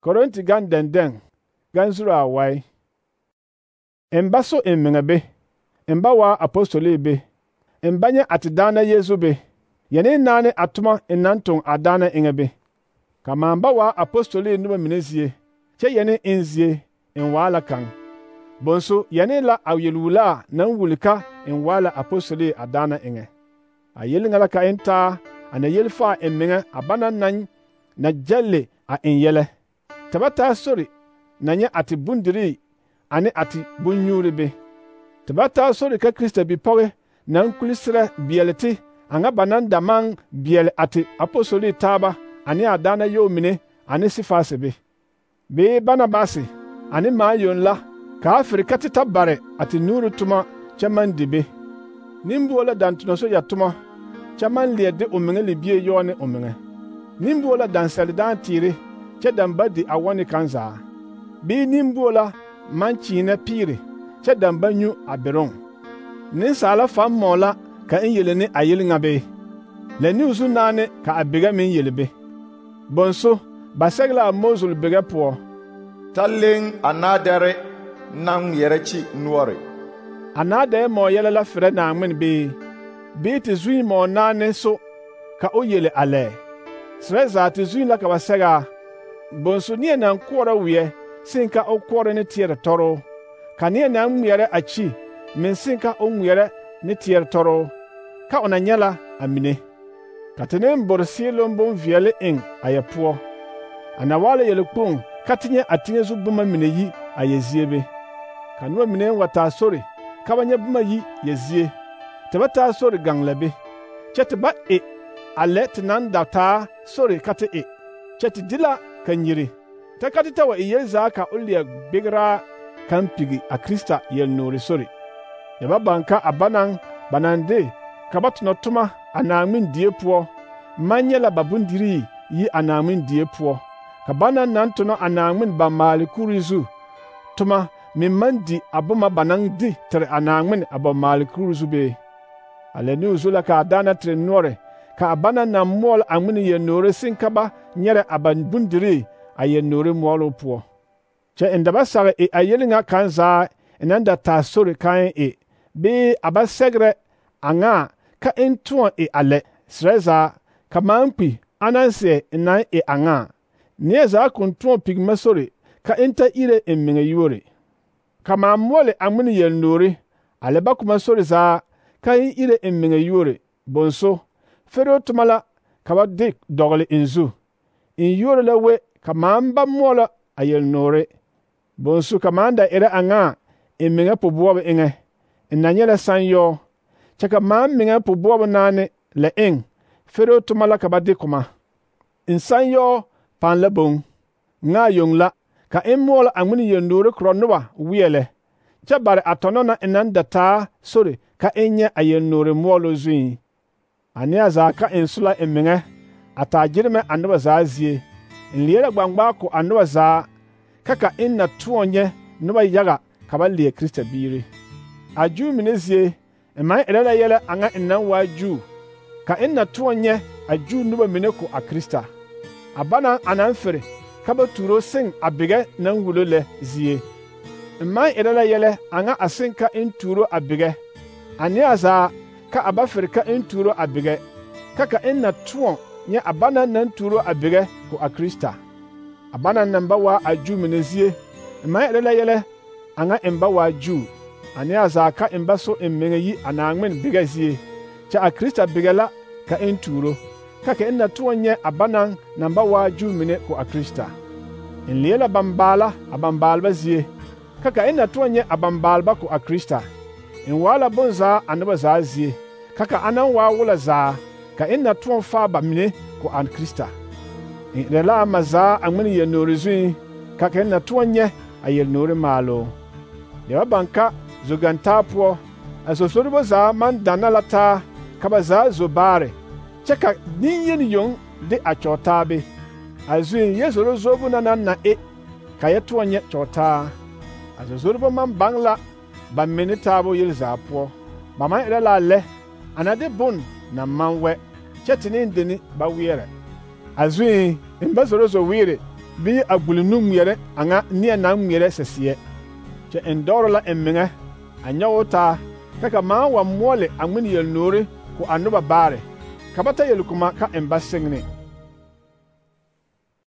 Korinti gan denden gan zuru awai. Emba so emmenga be. Emba wa apostoli be. Embanya atidana Yesu be. Yene nane atuma enanton adana inga be. Kama mba wa apostoli nuba minezie. Che yene inzie en wala kan. Bonso yene la awyelula nan wulika en wala apostoli adana inga. A yelinga ka enta ana yelfa emmenga abana nan na jalle a enyele. Tabata sori nanya ati bundiri ane ati bunyuri be. Tabata sori ka Krista bi poge nan kulisira bieleti anga banan damang biel ati apostoli taba ane adana yomine ane sifase be. Be Barnabasi ane mayon la ka Afrikati tabare ati nuru tuma chaman dibe. Nimbuola dantuno so yatuma chaman liede omenge libie yone omenge. Nimbuola dansali dan tiri che damba di awani kanza. Bi nimbuola manchina piri che damba nyu aberon. Ninsala fam mola ka inyeleni ayelinga be. Le niusu nane ka abega min yelebe. Bonso basegla mozul bega po. Talling anadere nang yerechi nuore. Anade mo yele la fere na ngmen be. Bi ti zui mo nane so ka o yele ale. Sreza ti zui la ka basega. Bonso nie na nkwora wie sinka o kwora ne tiere toro. Ka nie na mwere achi men sinka o mwere ne tiere toro. Ka onanyala amine. Katene mborsi lombo viele eng ayapuo. Anawale yele kpong katinye atinye zubuma mine yi ayeziebe. Kanwa mine wata sori kabanye buma yi yezie. Tabata sori ganglabe. Chetba ale tinan data sori kate Cheti dila kanyiri. Takatita wa iyeza ka ulia bigra kampigi a Krista yel nori sori. Yaba banka abanang banande kabatno tuma anamin diepuo. Manyela babundiri yi anamin diepuo. Kabana nantono anamin bamali kurizu. Tuma mimandi abuma banang di tere anamin abamali kurizu be. Aleni uzula ka adana tere nore. Ka abana na mol angmini ye nore sinkaba nyere abandundiri aye nore molo puo. Che endaba sare ayelinga kanza enanda tasori kan be abasegre anga ka entuon ale sreza kamampi ananse enan anga nieza kuntuon pigmasori ka enta ire emminga yore. Kama mole angmini ye nore ale bakuma sori za ka ire emminga yore bonso fero tumala kaba dik dogle inzu. In yore la we kamamba mola ayel nore. Bonsu kamanda ere anga eminga pobuwa inge. Inanyele sanyo. Chaka minga pobuwa nane le ing. Fero tumala kaba dikuma. In sanyo pan le bong. Nga yung la. Ka mola angmini ye nore kronuwa wiele. Chabare atonona inandata sori ka enye ayel nore molo zui. Ania za ka insula eminga. Atajirme anuwa za zie. Nliera gbangba ko anuwa za kaka inna tuonye nuwa yaga kaba liye Krista biri. Aju minezie emai erela yele anga inna waju. Ka inna tuonye aju nuwa mineko a Krista. Abana anamfere kaba turo sing abige nan wulole zie. Emai erela yele anga asinka inturo abige. Ania za ka abafere ka inturo abige. Kaka inna tuon nye abana nan turo abige ko a Krista. Abana namba wa aju minezie. Emma elela yele anga emba wa aju. Ani azaka emba so emmenge yi anangmen bigazie. Cha a Krista bigala ka enturo. Kaka enna tuonye abana namba wa aju mine ko a Krista. Enlela bambala abambalba zie. Kaka enna tuonye abambalba ko a Krista. Enwala bonza anaba za zie. Kaka anan wa wula za. Ka enna tuon fa ba mine ko an Krista. Rela maza angmini ye norizui kaka enna tuonye ayel nori malo. Dewa banka zoganta puo asosoribo za man danalata kabaza zobare. Cheka ninyen yong de achotabe. Azui yezoro zobu na kaya tuonye chota. Asosoribo man bangla ba minitabo yelza puo. Ba man rela le anade bun na manwe. Chetini ndeni ba wiere. Azui imbazoro zo wire bii a gbuli nu ŋmeɛrɛ a ŋa neɛ naŋ ŋmeɛrɛ saseɛ, kyɛ eŋ dɔgro la eŋ meŋɛ a nyɔge o taa ka kaŋa wa moɔle a ŋmene yelnoore ko a noba baare, ka ba ta yelkoma ka eŋ ba seŋne.